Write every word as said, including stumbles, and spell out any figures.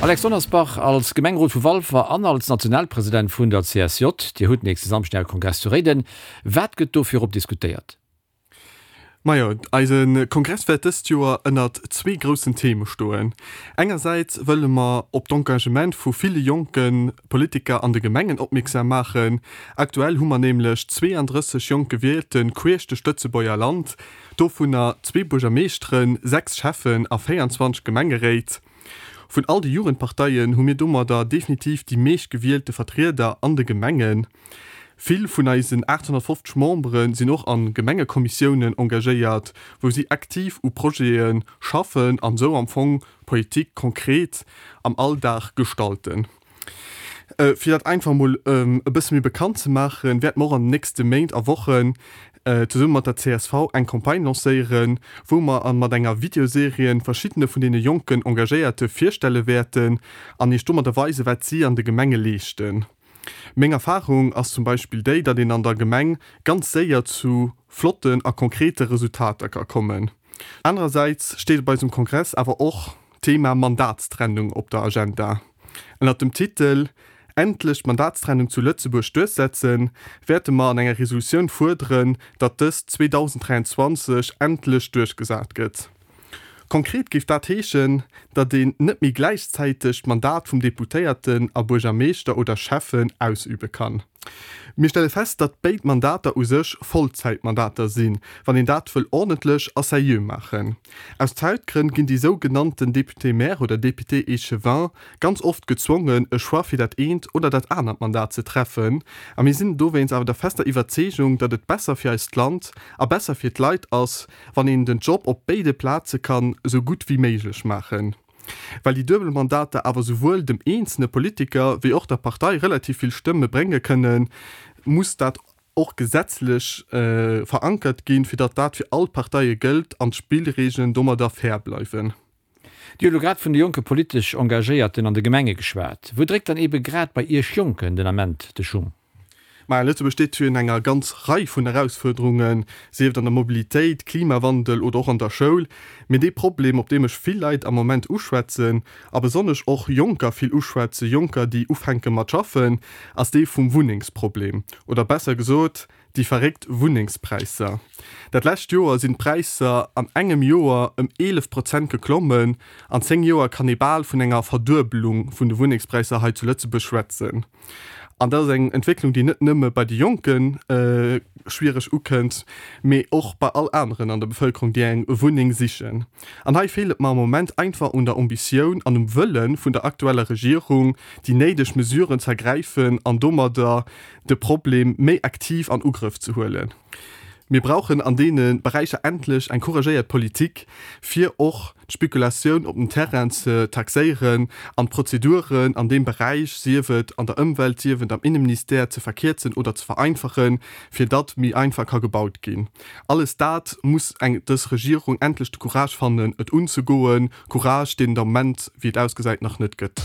Alex Donnersbach, als Gemengerot vu Walfer an als Nationalpresident vun der C S J, Dir hutt nächste Samschdeg Äre Kongress zu Réiden. Wat gëtt do virop diskutéiert? Majo, eise Kongress wäert dëst Joer ënnert zwee groussen Theme stoen. Engersäits wëlle mer op d'Engagement vu ville jonke Politiker an de Gemengen opmierksam maachen. Aktuell hu mer nämlech zweeandrësseg jonk Gewielte queesch duerch d'Lëtzebuerger Land, dovunner zwee Buergermeeschteren, sechs Schäffen a véierundzwanzeg Gemengeréit. Vun all de Jugendparteien hu mir domadder definitiv déi meescht gewielte Vertrieder an de Gemengen. Vill vun eisen aathonnertfofzeg Membere sinn och a Gemengekommissiounen engagéiert, wou si aktiv u Projete schaffen an esou am Fong Politik konkret am Alldag gestalten. Fir dat einfach emol e bësse méi bekannt ze maachen, wäerte mer och an den nächste Méint a Wochen zesumme mat der C S V eng Campagne lancéieren, wou mer a mat enger Videoserie verschiddene vun deene jonken Engagéierte virstelle wäerten an iech domadder weisen, wat si an de Gemenge leeschten. Meng Erfarung ass zum Beispill déi, datt een an der Gemeng ganz séier zu flotten a konkrete Resultater ka kommen. Anerersäits steet op eisem Kongress awer och d'Thema Mandatstrennung op der Agenda. Ënnert dem Titel Endlech d'Mandatstrennung zu Lëtzebuerg duerchsetzen, wäerte mer an enger Resolutioun fuerderen, datt dës zweedausenddräianzwanzeg endlech duerchgesat gëtt. Konkret géif dat heeschen, datt een net méi gläichzäiteg d'Mandat vum Deputéierten a Buergermeeschter oder Schäffen ausübe kann. Mir stelle fest, datt béid Mandater u sech Vollzäitmandater sinn, wann een dat wëll ordentlech a seriö maachen. Aus Zäitgrënn ginn déi sou genannten Député-maire oder Député-échevin ganz oft gezwongen, e Choix fir dat eent oder dat anert Mandat ze treffen. A mir sinn dowéinst awer der fester Iwwerzeegung, datt et besser fir eist Land a besser fir d'Leit ass, wann een den Job op béide Plaze kann esou gutt wéi méiglech maachen. Well déi duebel Mandater awer souwuel dem eenzelne Politiker wéi och der Partei relativ vill Stëmme brénge kënnen, muss dat och gesetzlech verankert ginn, fir datt dat fir all d'Parteie gëllt an d'Spillregeln domadder fair bleiwen. Dir hutt elo grad vun de jonke politesch Engagéierten an de Gemenge geschwat. Wou dréckt dann eebe grad bei Iech Jonken den Ament de Schung? Maja, Lëtzebuerg steet virun enger ganz Rei vun Erausfuerderungen, sief et an der Mobilitéit, Klimawandel oder och an der Schoul. Mee dee Problem, op deem ech vill Leit am Moment uschwätzen, a besonnesch och Jonker vill uschwätzen, Jonker, déi ufänke mat schaffen, ass dee vum Wunnengsproblem. Oder besser gesot, déi verréckt Wunnengspräisser. Dat lescht Joer sinn d'Präisser an engem Joer ëm eelef Prozent geklommen. An zéng Joer kann ee bal vun enger Verduebelung vun de Wunnengspräisser hei zu Lëtzebuerg schwätzen. An dat ass eng Entwécklung, déi net nëmme bei de Jonke schwiereg ukënnt, mee och bei all aneren an der Bevëlkerung, déi eng Wunneng sichen. An hei feelt et mer am Moment einfach un der Ambitioun an um Wëlle vun der aktueller Regierung, déi néideg Mesuren ze ergräifen an domadder de Problem méi aktiv an Ugrëff ze huelen. Mir brauchen an deene Beräicher endlech eng couragéiert Politik, fir och d'Spekulatioun op den Terrainen ze taxéieren an d'Prozeduren an deem Beräich, sief et an der Ëmwelt, sief et am Inneministère, ze verkierzen oder ze vereinfachen, fir datt méi einfach ka gebaut ginn. Alles dat muss eng dës Regierung endlech de Courage fannen, et unzegoen, Courage, deen et am Moment, wéi et ausgesäit, nach net gëtt.